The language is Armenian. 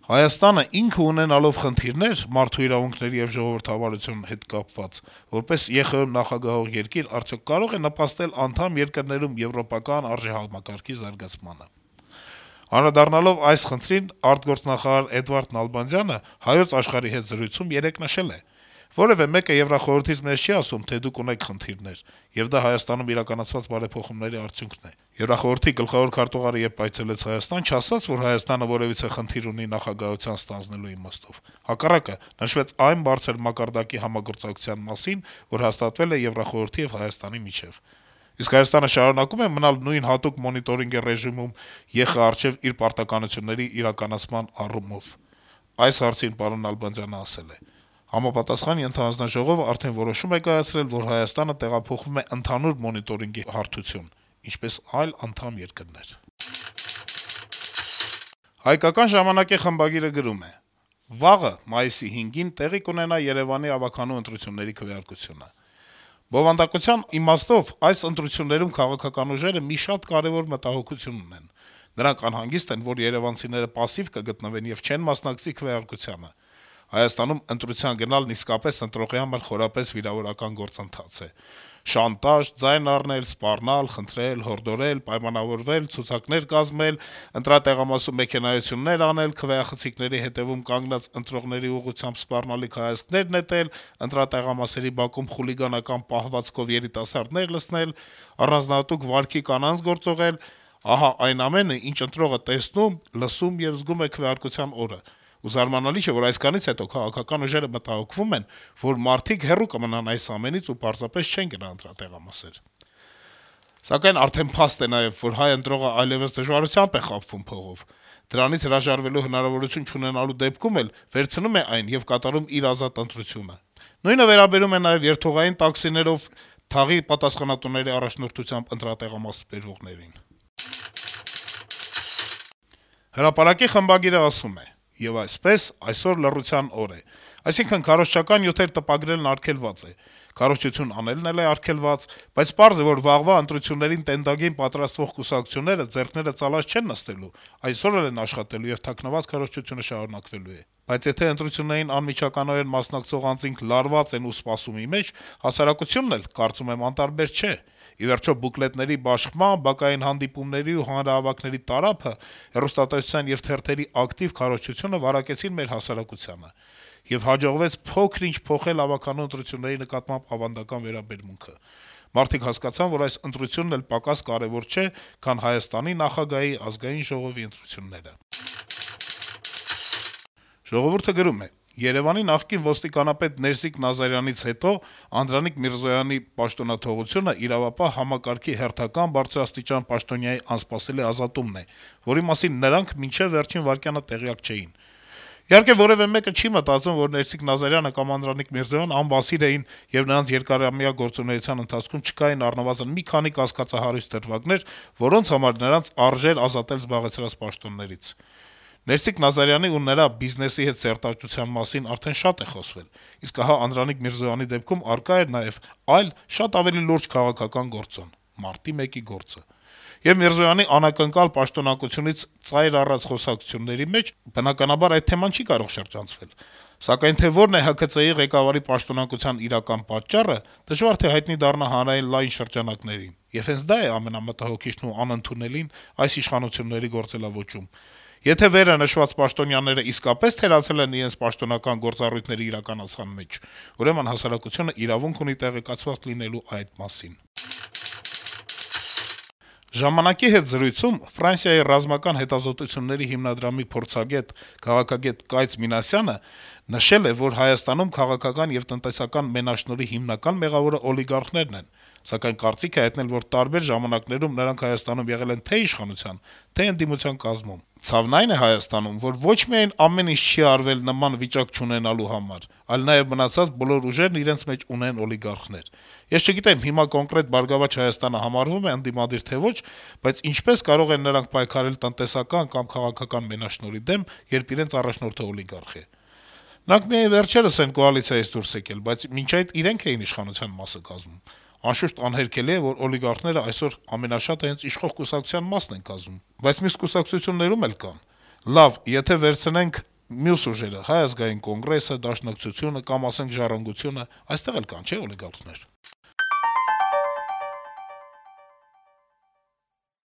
Հայաստանը ինքը ունենալով խնդիրներ մարդու իրավունքների եւ ժողովրդավարության հետ կապված, որպես ԵԽ նախագահող երկիր, արդյոք կարող է նպաստել անդամ երկրներում եվրոպական արժեհամակարգի զարգացմանը։ Անդրադառնալով այս խնդրին, արտգործնախարար Էդվարդ Նալբանդյանը Հայոց աշխարհի հետ զրույցում երեկ նշել է. «Որևէ մեկը Եվրախորհրդից մեզ չի ասում, թե դուք ունեք խնդիրներ, եւ դա Հայաստանում իրականացված բարեփոխումների արդյունքն է։ Եվրախորհրդի գլխավոր քարտուղարը երբ այցելեց Հայաստան, չասաց, որ Հայաստանը որեւիցե խնդիր ունի նախագահության ստանձնելու իմաստով։ Հակառակը, նշվեց այն բարձր մակարդակի համագործակցության մասին, որ հաստատվել է Եվրախորհրդի եւ Հայաստանի միջեւ։ Իսկ Հայաստանը շարունակում է մնալ նույն հատուկ մոնիտորինգի ռեժիմում ԵԽ առջեւ իր պարտականությունների իրականացման առումով»։ Այս հարցին պարոն Նալբանդյանը ասել է. «Համապատասխան ենթահանձնաժողովը արդեն որոշում է կայացրել, որ Հայաստանը տեղափոխվում է ընդհանուր մոնիտորինգի հարթություն, ինչպես այլ անդամ երկրներ»։ «Հայկական ժամանակ»-ի խմբագիրը գրում է. - «Վաղը, մայիսի 5-ին, տեղի կունենա Երեւանի ավականու ընտրությունների քվեարկությունը։ Բովանդակության իմաստով այս ընտրություններում քաղաքական ուժերը մի շատ կարեւոր մտահոգություն ունեն. նրանք անհանգիստ են, որ երեւանցիները պասիվ կգտնվեն եւ չեն մասնակցի քվեարկությանը։ Հայաստանում ընտրության գնալն իսկապես ընտրողի համար խորապես վիրավորական գործընթաց է. շանտաժ, ձայն առնել, սպառնալ, խնդրել, հորդորել, պայմանավորվել, ցուցակներ կազմել, ընտրատեղամասում մեքենայություններ անել, քվեախցիկների հետեւում կանգնած ընտրողների ուղղությամբ սպառնալիք հայացքներ նետել, ընտրատեղամասերի բակում խուլիգանական պահվածքով երիտասարդներ լցնել, առանձնահատուկ վարքի կանանց գործողել, ահա այն ամենը, ինչ ընտրողը տեսնում, լսում եւ զգում է քվեարկության օրը։ Ու զարմանալի չէ, որ այսքանից հետո քաղաքական ուժերը մտահոգվում են, որ մարդիկ հեռու կմնան այս ամենից ու պարզապես չեն գնա ընտրատեղամասեր։ Սակայն արդեն փաստ է նաեւ, որ հայ ընտրողը այլեւս դժվարությամբ է խաբվում փողով։ Դրանից հրաժարվելու հնարավորություն չունենալու դեպքում էլ վերցնում է այն եւ կատարում իր ազատ ընտրությունը։ Նույնը վերաբերում է նաեւ երթուղային տաքսիներով թաղի պատասխանատուների առաջնորդությամբ ընտրատեղամաս բերվողներին»։ Հրապարակի խմբագիրը ասում է. - «Եվ այսպես, այսօր լռության օր է։ Այսինքն քարոզչական նյութեր տպագրելն արգելված է, քարոզչություն անելն էլ է արգելված, բայց պարզ է, որ վաղվա ընտրություններին տենդագին պատրաստվող կուսակցությունները ձեռքները ծալած չեն նստելու, այսօր էլ են աշխատելու եւ թաքնված քարոզչությունը շարունակվելու է։ Բայց եթե ընտրություններին անմիջականորեն մասնակցող անձինք լարված են ու սպասումի մեջ, հասարակությունն էլ, կարծում եմ, անտարբեր չէ։ Ի վերջո, բուկլետների բաշխման, բակային հանդիպումների ու հանրահավաքների տարափը, հեռուստատեսության եւ թերթերի ակտիվ քարոզչությունը վարակեցին մեր հասարակությանը։ Եվ հաջողվեց փոքր-ինչ փոխել ավականու ընտրությունների նկատմամբ ավանդական վերաբերմունքը։ Մարդիկ հասկացան, որ այս ընտրությունն էլ պակաս կարեւոր չէ, քան Հայաստանի նախագահի, Ազգային ժողովի ընտրությունները»։ «Ժողովուրդ»-ը գրում է. - «Երեւանի նախկին ոստիկանապետ Ներսիկ Նազարյանից հետո Անդրանիկ Միրզոյանի պաշտոնաթողությունը իրավապահ համակարգի հերթական բարձրաստիճան պաշտոնյայի անսպասելի ազատումն է, որի մասին նրանք մինչեւ վերջին վայրկյանը տեղյակ չէին։ Իհարկե, որեւէ մեկը չի մտածում, որ Ներսիկ Նազարյանը կամ Անդրանիկ Միրզոյան անբասիր էին եւ նրանց երկարամյա գործունեության ընթացքում չկային առնվազն մի քանի կասկածահարույց դրվագներ, որոնց համար նրանց արժեր ազատել զբաղեցրած պաշտոններից։ Ներսիկ Նազարյանի ու նրա բիզնեսի հետ սերտաճության մասին արդեն շատ է խոսվել, իսկ ահա Անդրանիկ Միրզոյանի դեպքում առկա էր նաեւ այլ, շատ ավելի լուրջ քաղաքական գործոն՝ մարտի 1-ի գործը։ Եվ Միրզոյանի անակնկալ պաշտոնակությունից ծայր առած խոսակցությունների մեջ, բնականաբար, այդ թեման չի կարող շրջանցվել։ Սակայն թե որն է ՀՔԾ-ի ղեկավարի պաշտոնակության իրական պատճառը, դժվար թե հայտնի դառնա հանրային լայն շրջանակներին։ Եվ հենց դա է ամենամտահոգիչն ու անընդունելին այս իշխանությունների գործելաոճում։ Եթե վերը նշված պաշտոնյաները իսկապես թերացել են իրենց պաշտոնական գործառույթների իրականացման մեջ, ուրեմն հասարակությունը իրավունք ունի տեղեկացված լինելու այդ մասին»։ «Ժամանակ»-ի հետ զրույցում Ֆրանսիայի ռազմական հետազոտությունների հիմնադրամի փորձագետ, քաղաքագետ Կայծ Մինասյանը նշել է, որ Հայաստանում քաղաքական եւ տնտեսական մենաշնորհի հիմնական մեղավորը օլիգարխներն են, սակայն կարծիք է հայտնել, որ տարբեր ժամանակներում նրանք Հայաստանում եղել են թե իշխանության, թե ընդդիմության կազմում։ Ցավն այն է Հայաստանում, որ ոչ միայն ամեն ինչ չի արվել նման վիճակ չունենալու համար, այլ նաեւ մնացած բոլոր ուժերն իրենց մեջ ունեն օլիգարխներ։ Ես չգիտեմ հիմա կոնկրետ «Բարգավաճ Հայաստանը» համարվում է ընդդիմադիր թե ոչ, բայց ինչպես կարող են նրանք պայքարել տնտեսական կամ քաղաքական մենաշնորհի դեմ, երբ իրենց առաջնորդը օլիգարխ է։ Նրանք միայն վերջերս են կոալիցիայից դուրս եկել, բայց մինչ այդ իրենք էին իշխանության մասը կազմում։ Անշուշտ անհերքելի է, որ օլիգարխները այսօր ամենաշատը հենց իշխող կուսակցության մասն են կազմում, բայց մյուս կուսակցություններում էլ կան։ Լավ, եթե վերցնենք մյուս ուժերը, Հայ ազգային կոնգրեսը, Դաշնակցությունը կամ ասենք Ժառանգությունը, այստեղ էլ կան, չէ՞, օլիգարխներ։